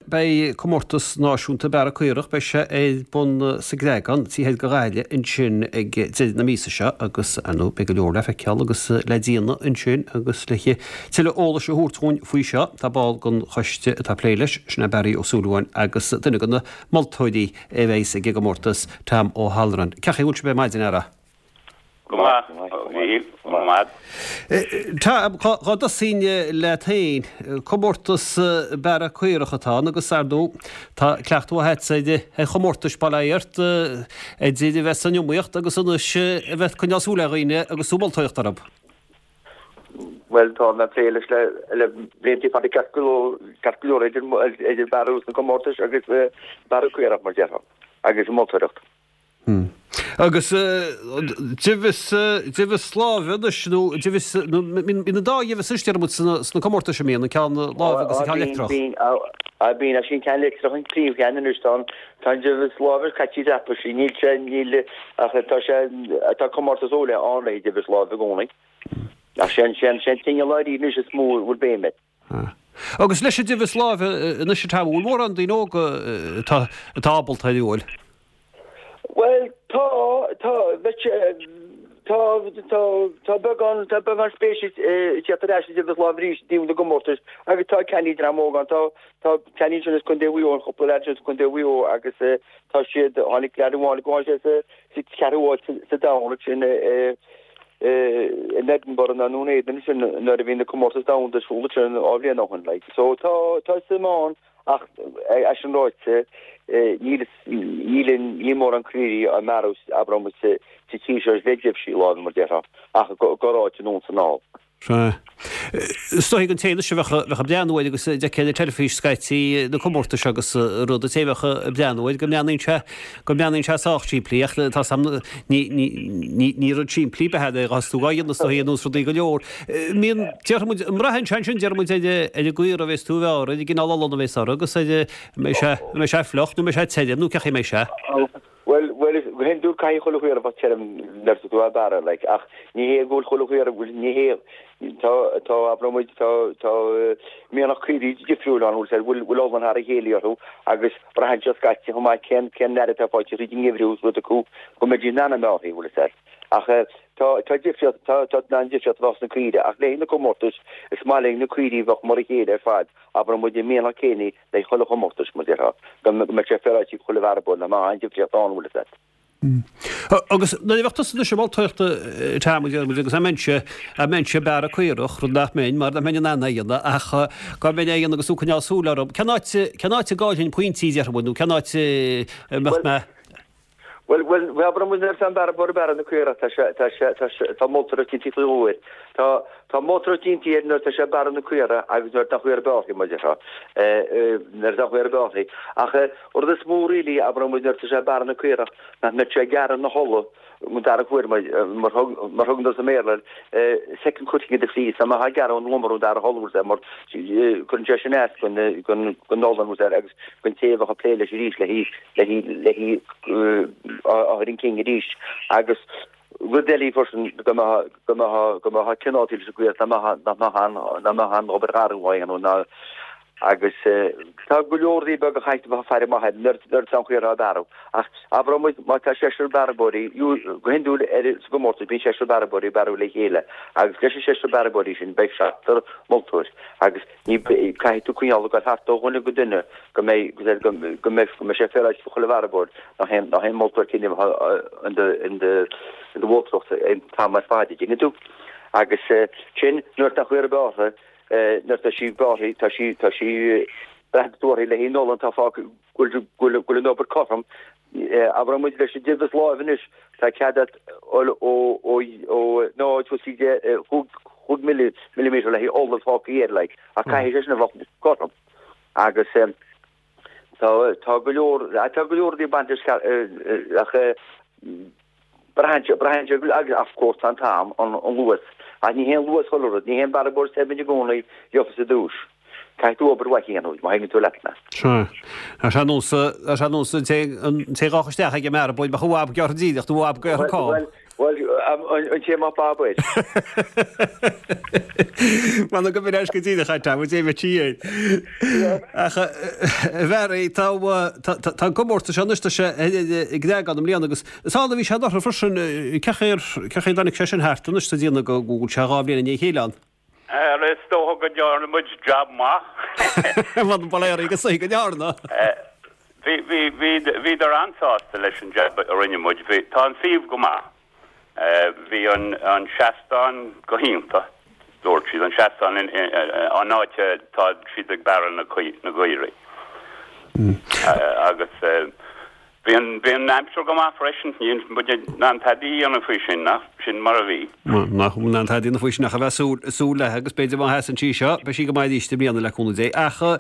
beidh comórtas náisiúnta bearradh caorach, beidh sé ar bun sa gCreagán, taobh thoir de Ghaillimh ansin ag deireadh na míosa seo agus, ar ndóigh, beidh go leor le feiceáil agus le déanamh ansin agus le tuilleadh eolais a thabhairt dhúinn faoi seo, tá ball den choiste atá ag plé leis, sin é Barry Ó Súilleabháin agus duine de na moltóirí a bheas ag an gcomórtas, Tom Ó hAlmhrain. Cén chaoi a bhfuil sibh ar maidin, a fheara? Go maith, a Mhíchíl, go maith. Tá, dá dtosóinn leat féin, comórtas bearradh caorach atá ann agus, ar ndóigh, tá cleachtadh mhaith agatsa ar chomórtais, bail ó Dhia ort, idir a bheith san iomaíocht agus anois a bheith ag coinneáil súil ar dhaoine agus tú ag moltóireacht orthu. Bhuel, tá mé ag plé leis le blianta fada ceart go leor idir bearradh sna comórtais agus bearradh caorach, mar déarfá, agus an mholtóireacht. Agus deimheas, deimheas láimhe anois nó deimheas, nó bíonn an dá dheimheas anois déarfaidh muid sna comórtais an mbíonn, an ceann láimhe agus an ceann leictreach. Bíonn, bíonn, bíonn, ach sí an ceann leictreach an príomhcheann anois, tá an, tá an deimheas láimhe caite dreaptha, sí, níl sé, níl, ach tá sé, tá comórtas ó leith ann le haghaidh deimheas láimhe i gcónaí. Ach sé an, sé an, sé an t-inneall dáiríre anois is mó a bhfuil béim air. Agus leis an deimheas láimhe anois a Tom, an bhfuil mórán daoine óga atá atá ábalta air, an bhfuil? Bhuel, tá, tá, bheadh sé, tá, tá, tá beagán, tá beagán spéise ag teacht ar ais sa deimheas láimhe arís i dtaobh na gcomórtas agus tá ceannaí dream óg ann, tá, tá ceannaí ansin as Contae Mhaigh Eo, an cúpla leaid ansin as Contae Mhaigh Eo agus tá siad, tháinig leaid amháin, tháinig sé sa, sa cheathrú háit sa domhan ansin i, in Edinburgh nó i nDún Éideann ansin nuair a bhí na comórtais domhanda ar siúl ansin dhá bhliain ó shin like. So tá tá suim ann ach é sin ráite níl níl níl mórán caoirigh á mbearradh abair muid sa tír seo le deimhsí láimhe mar déarfá ach go corráit anonn is anall. Sea. Is dóigh don té anois a bheadh ag breathnú air agus d'fheicfeá ar an teilifís scaití na comórtais agus rud, an té a bheadh ag breathnú air go mbreathnaíonn sé, go mbreathnaíonn sé sách simplí ach tá 's a'm ní, ní, ní, ní rud simplí ab ea é dhá tú dhá dhéanamh is dóigh ar nós rudaí go leor. Mbíonn, déarfaidh muid, an mbraitheann sé ansin déarfaidh muid ar, ar an gcaora a bhéas tú a bhearradh, ar an gcineál olann a bhéas orthu agus ar, an mbeidh sé, an mbeidh sé fliuch nó an mbeidh sé tirim nó cén chaoi a mbeidh sé. Bhuel, bhuel, go hiondúil caithfidh chuile chaora bheith tirim nuair atá tú á bearradh, like, ach ní hé go bhfuil chuile chaora, bhuel, ní hé, tá, tá, abraidh muid, tá, tá mianach caoirigh difriúil ann, bhfuil, bhfuil, bhfuil olann thar a chéile orthu agus braitheann sé scaití chomh maith cén, cén aire atá faighte thríd an ngeimhreadh is rud acu go mbeidís in ann a mbearrthaí, bhfuil fhios a'd. Ach tá, tá difríocht, tá, tá an-difríocht a bheith sna caoirigh ach le haghaidh na comórtais is maith linn na caoirigh a bheadh mar a chéile ar fad, abraidh muid, an mianach céanna le chuile chomórtas, mar déarfá, go mbeadh sé féaráilte ag chuile bhearbóir nach mbeadh aon difríocht ann, bhfuil fhios a'd. Agus nuair a bheadh tusa anois ag moltóireacht Tom, a deir muid, agus dá mbeinnse, dá mbeinnse ag bearradh caorach, rud nach mbeinn, mar nach mbeinn in ann é a dhéanamh, ach dá mbeinn á dhéanamh agus tú ag coinneáil súil orm, cén áit, cén áit a gcaillfinn pointí, déarfaidh muid, nó cén áit a mbeadh mé. Bhuel, bhuel, abraidh muid nuair atá an bearbóir ag bearradh na caorach, tá sé, tá sé, tá sé, tá moltóireacht déanta faoi dhó air. Tá, tá moltóireacht déanta air nuair atá sé ag bearradh na caora agus nuair atá an chaora bearrtha, mar déarfá, nuair atá an chaora bearrtha. Ach rud is mó really, abraidh muid nuair atá sé ag bearradh na caorach, nach mbeadh sé ag gearradh na hola, an dara huair mar, mar thug, mar thugann tú sa mBéarla air, second cutting of the fleece, nach mbeadh ag gearradh an lomra an dara hola, mar cuireann sé sin as don, don, don olann agus don té a bheadh ag plé leis arís le hí. le hí a chur chun cinn arís agus rud eile freisin go mbeadh go mbeadh go mbeadh cineál leis an gcaoi nach mbeadh an nach mbeadh an obair gharbh á dhéanamh ná agus tá go leor rudaí beaga a chaithfidh tú bheith ag faire amach air nuair nuair atá an chaora á bearradh ach abraidh muid má tá seisear bearbóirí go hiondúil ar sa gcomórtas bíonn seisear bearbóirí ag bearradh le chéile agus leis an seisear bearbóirí sin beidh seachtar moltóir agus Ní, caithfidh tú coinneáil ag dul thart ó dhuine go duine go mbeidh, go mbeidh, go mbeidh, go mbeidh sé féaráilte do chuile bhearbóir nach aon, nach aon moltóir céanna a bheith in do, in do, in do mholtóireacht an t-am ar fad, an dtuigeann tú. Agus sin, nuair atá an chaora bearrtha, nuair atá sí bearrtha, tá sí, tá sí, braitheann tú uirthi le haghaidh an olann atá fágtha, go bhfuil, go bhfuil, go bhfuil an obair cothrom. Abraidh muid leis an deimheas láimhe anois, tá cead agat ó, ó, ó 0.5 5 millimetre le haghaidh ola fágtha air, like, ach caithfidh sé sin a bheith cothrom. Agus tá, tá go leor, tá go leor rudaí ag baint leis ach braitheann sé, braitheann sé agus of course tá an t-am, an luas. Ach ní hé an luas chuile rud, ní hé an bearbóir is saibhre i gcónaí gheofas an duais. Caithfidh tú obair mhaith a dhéanamh, má thuigeann tú leat mé. Sea. Tá sé nós, tá sé nós an té, an té a ghabhfadh isteach ag an mbearbóir, bheadh a bhab gearrtha díreach nó a bhab gearrtha cam. Bhuel, bhuel, An té a mbeadh bab air. M'anam go mbeidh go díreach a Tom, dé bheith air. Ach a Bharry, tá an comórtas seo anois, tá sé i gCreagán i mbliana agus is ann a bhí sé anuraidh freisin, cén chaoi ar, cén chaoi a dtáinig sé sin thart anois sa déanamh go bhfuil sé 2 bhliain i ndiaidh a chéile ann? Is dócha go ndearna muid jab maith. Bhuel, bail ó Dhia oraibh is dóigh go ndearna. Bhí, bhí, bhí, bhíodar an-sásta leis an jab a rinne muid. Bhí, tá an suíomh go maith. Bhí an, an seastán go hiontach, dúirt siad, an seastán in, an áit atá siad ag bearradh na, na gcaoirigh. Agus Bhí an, bhí an aimsir go maith freisin, níl muid in ann tada a dhéanamh faoi sin, ach sin mar a bhí. Nach in ann tada a dhéanamh faoi sin ach a bheith súil, súil léi agus b'fhéidir má sheasann sí seo, beidh sí go maith arís i mbliana le cúnamh Dé. Ach i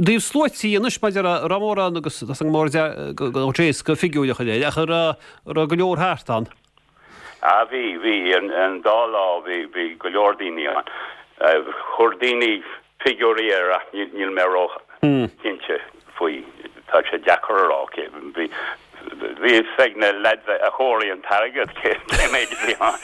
dtaobh sluaití anois, maidir le, raibh mórán agus tá mór go go éasca figiúir a chur air, ach an raibh, raibh go leor thart ann. Ah bhí, bhí, an dá lá bhí, bhí go leor daoine ann. Chuir daoine figiúirí air ach níl mé ró chinnte faoi, tá sé deacair a rá cé, bhí, bhí fhios ag na leaids a chomhair an t-airgead cé méid a bhí ann.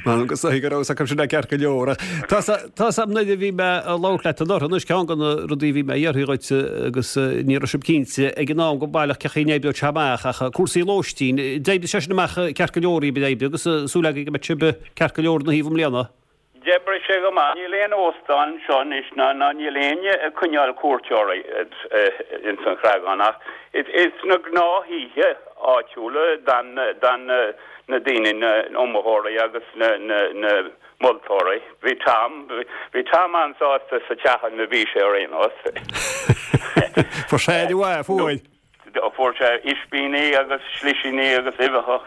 M'anam go soithigh go raibh fhios acu sin ceart go leor. Tá fhios a'm nuair a bhí mé ag labhairt leat anuraidh anois ceann de na rudaí a bhí mé a iarraidh dhuit agus ní raibh sibh cinnte ag an am go baileach cén chaoi a n-oibreodh sé amach ach cúrsaí lóistín, d'oibrigh sé sin amach ceart go leor daoibh agus súil againn go mbeidh sibh ceart go leor ina thaobh i mbliana. D'oibrigh sé go maith. Níl aon óstán anseo anois ná ná níl éinne ag coinneáil cuairteoirí ins an Chreagán ach is sna gnáth-thithe áitiúla d'fhan d'fhan na daoine, na iomaitheoirí agus na na na moltóirí. Bhí Tom, bhí Tom an-sásta sa teach ina bhí sé ar aon nós. Fuair sé aire mhaith, fuair. Fuair sé ispíní agus slisíní agus uibheacha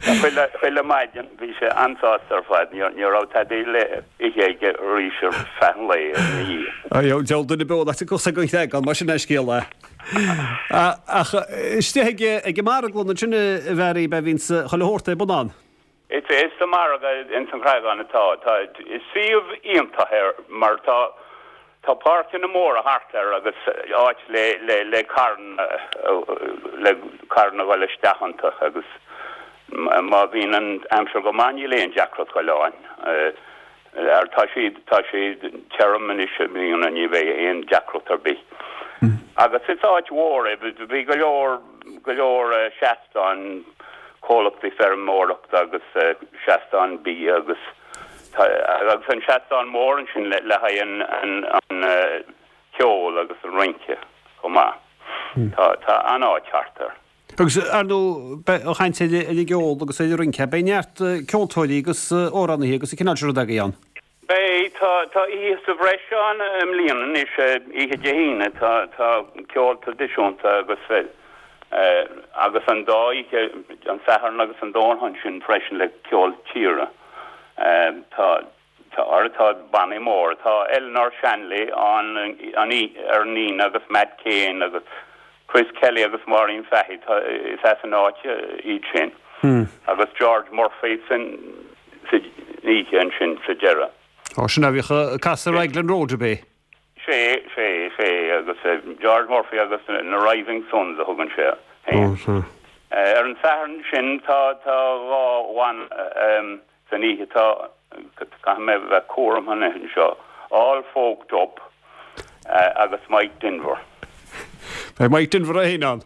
chuile, chuile maidin. Bhí sé an-sásta ar fad. Ní, ní raibh tada le ithe aige arís ar feadh an lae ina dhiaidh. Ayo, deabhal duine beo nach dtiocfadh sé den Chreagán, mar sin é an scéal é. Ach istigh ag, ag an marglann ansin a Bharry, b'é a bhíonns chuile shórt ar bun ann. Is é sa margadh ins an Chreagán atá. Tá suíomh iontach air mar tá tá páirceanna móra thart air agus áit le le le carranna le carranna a dhul isteach iontu agus má bhíonn an aimsir go maith níl aon deacracht dhul ann. Ar tá sé tá sé tirim anois i mbliana ní bheidh aon deacracht ar bith. Agus is áit mhór é bhí go leor go leor seastán comhlachtaí feirmeoireachta agus seastán bia agus tá agus an seastán mór ansin le le haghaidh an an an ceol agus an rince chomh maith. Tá tá an-áit thart air. Agus ar ndóigh beidh an chaint ar an gceol agus ar an rince, beidh neart ceoltóirí agus amhránaithe agus an cineál sin rud agaibh ann. Beidh, tá, tá oíche sa bhreis ann i mbliana anois, oíche Dé hAoine, tá, tá ceol traidisiúnta agus, agus an dá oíche, an Satharn agus an Domhnach ansin freisin le ceol tíre. Tá, Tá ar tá bannaí móra. Tá Eleanor Shanley ann an ar an Aoine agus Matt Kane agus Chris Kelly agus Maureen Fahy. Tá is as an áit iad sin. Agus George Murphy san sa oíche ansin sa deireadh. Ó sin a bhíodh ag casadh Raglan Road ab é? Sé, sé, sé agus George Murphy agus na Rising Sons a thugann sé féin. Ar an Satharn sin tá tá 2 bhanna San oíche tá, caithfidh mé bheith cúramach anseo, All Folked Up agus Mike Denver. Beidh Mike Denver é féin ann.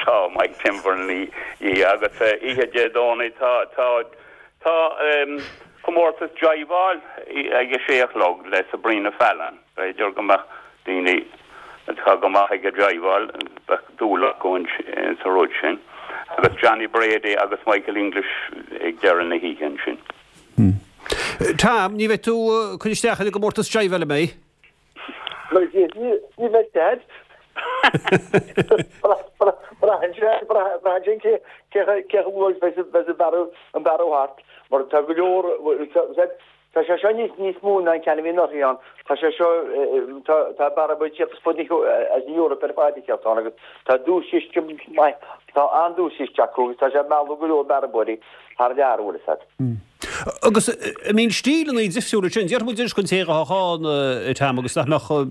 Tá Mike Denver ina dhiaidh agus oíche Dé Domhnaigh tá, tá, tá comórtas jiveáil ag a sé a chlog le Sabrina Fallon. B'fhéidir go mbeadh daoine atá go maith ag an jiveáil, bheadh dúil acu sa rud sin. Agus Johnny Brady agus Michael English ag deireadh na hoíche ansin. Tom, ní bheidh tú ag cur isteach ar an gcomórtas jiveáil, an mbeidh? Ní bheidh Dad. Braitheann sé, braitheann sé cé chomh luath is a bheas an bearradh thart. Mar tá go leor, Tá sé seo níos níos mó ná an ceann a bhí anuraidh ann. Tá sé seo, tá tá bearbóirí ag tíocht as fud na as an Eoraip ar fad ag tíocht ann agus tá duaischiste maith, tá an-duaischiste acu agus tá sé ag mealladh go leor bearbóirí. thar lear, an bhfuil fhios a'd. Agus an mbíonn stíleanna difriúla ansin? Déarfaidh muid anois don té atá ann, a Tom, agus nach mbeadh,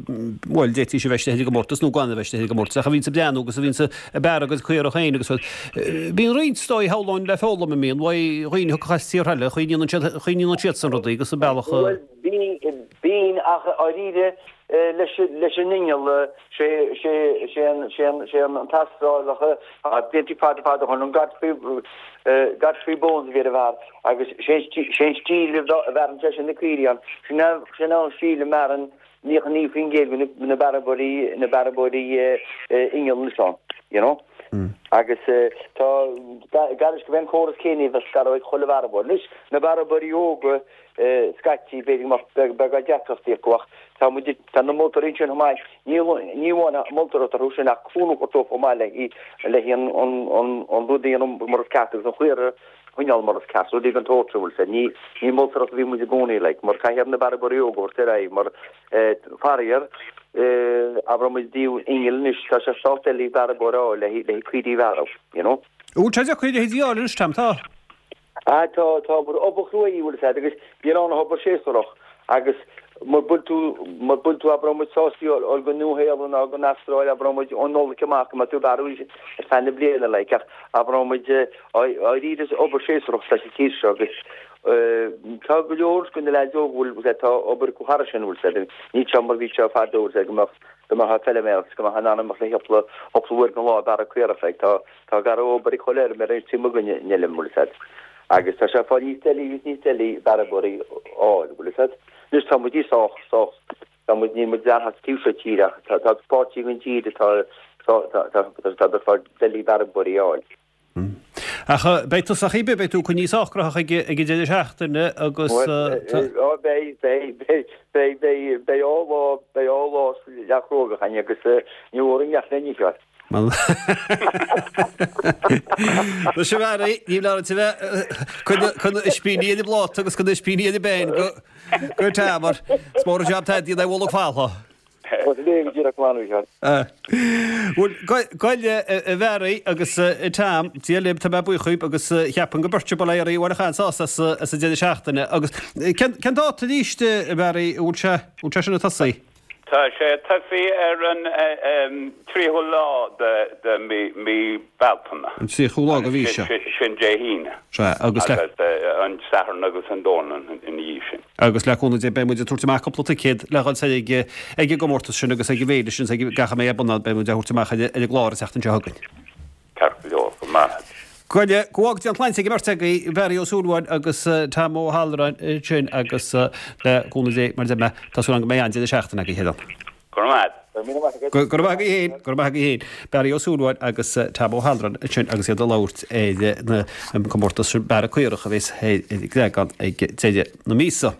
bhuel, d'fhéadfaidís a bheith istigh ar an gcomórtas nó gan a bheith istigh ar an gcomórtas, ach a bhíonns ag breathnú agus a bhíonns ag bearradh a gcuid caorach féin agus rud. Bíonn roinnt, is dóigh, shamhlóinn le foghlaim, an mbíonn, uaidh dhaoine a thiocfadh as tíortha eile, chaoi a ndéanann siad, chaoi a ndéanann siadsan rudaí agus an bealach a. Bhuel, bíonn, ach dháiríre, leis an inneall, sé an tAstrálach a blianta fada fada ó shin, an Godfrey, Godfrey Bones a bhí ar an bhfear agus sé an stíl a bhearrann seisean na caoirigh ann, sin an stíl a mbearrann 99% de na bearbóirí, na bearbóirí inneall anois ann, you know. Agus tá, gar leis go bhféadfaí an córas céanna a bheith scaradh ag chuile bhearbóir. Anois, na bearbóirí óga, scaití, b'fhéidir go mbeadh beagán deacrachtaí acu ach tá muid, tá na moltóirí ansin chomh maith, ní ní amháin moltóireacht orthu sin ach cúnamh a thabhairt dóibh chomh maith le le an an an rud a dhéanamh mar is ceart agus an chaora a choinneáil mar is ceart, rudaí den tsórt sin, bhfuil 'fhios a'd. Ní ní moltóireacht a bhí muid i gcónaí like mar caithfidh na bearbóirí óga a thabhairt ar aghaidh mar faraor abraidh muid i dtaobh innill anois tá sé sách doiligh bearbóir a fháil le le caoirigh a bhearradh, you know. Bhfuil sé deacair a leithéidí a fháil anois Tom, tá? Ah tá, tá obair, obair chrua í, bhfuil 'fhios a'd, agus níl ann ach obair séasúrach agus mura bhfuil tú, mura bhfuil tú, abraidh muid sásta dhul go Nua Shéalainn ná go Astráil, abraidh muid ón Nollaig amach go mbeidh tú ag bearradh ar feadh na bliana like ach abraidh muid dháiríre is obair séasúrach atá sa tír seo agus tá go leor de na leaids óga bhfuil 'fhios a'd, tá obair acu thairis sin, bhfuil 'fhios a'd, níl sé mar bhí sé fadó, bhfuil 'fhios a'd, go mbeadh, go mbeadh feiliméar agus go mbeadh in ann imeacht le cúpla, cúpla uair den lá ag bearradh caorach like tá, Tá gar-obair ag chuile fheirmeoir anois taobh amuigh den fheilm, bhfuil 'fhios a'd. Agus tá sé ag fáil níos doilí agus níos doilí bearbóirí a fháil, bhfuil 'fhios a'd. Anois tá muid sách, sách, tá muid, níl muid leathan sa taobh seo tíre ach tá, tá páirtí den tír atá, tá, tá, tá, tá ag fáil doilí bearbóirí a fháil. Ach beidh tú sách oibre, beidh tú coinnithe sách gnóthach ag an deireadh seachtaine agus tá. Ó beidh, beidh, beidh, beidh, beidh, beidh dhá lá, beidh dhá lá leath-chruógach againn agus ní mhór an neach le n-ithe. Tá sé mharaí, ní bhleá duit a bheith chun na ispíní ar an bpláta agus chun na ispíní ar an bpeann go go Tamar. Is mór an jab tá déanta ag Mhullach Falla. Bhuel, goile a Bharry agus a Tom, Dia libh, tá mé buíoch dhaoib agus cheapfainn go beirt bail ó Dhia oraibh a bhfuil achan sásta as an deireadh seachtaine. Agus cén dáta arís, a Bharry, an bhfuil sé sin ag tosaí? Tá sé ag tosaí ar an 30ú lá de mí Bealtaine. An 30ú lá de mhí seo. Sin Dé hAoine. Sea, agus le. Agus an Satharn agus an Domhnach ina dhiaidh sin. Agus le cúnamh Dé beidh muid ag tabhairt amach cúpla ticéad le dhul soir ag ag an gcomórtas sin agus ag an bhféile sin agus ag gach a mbeidh ar bun ann, beidh muid á thabhairt amach ar an gclár an tseachtain seo chugainn. Ceart go leor, go maith. Goile, go bhfága Dia an tsláinte ag an mbeirt agaibh, Barry Ó Súilleabháin agus Tom Ó hAlluráin ansin agus le cúnamh Dé, mar a deir mé, tá súil agam go mbeidh an-deireadh seachtaine agaibh, a Sheáin. Go raibh maith agat. Go raibh maith agaibh féin, go raibh maith agaibh féin. Barry Ó Súilleabháin agus Tom Ó hAlluráin ansin agus iad ag labhairt ar an gcomórtas Bearradh Caorach a bheas ar an gCreagán ag deireadh na míosa.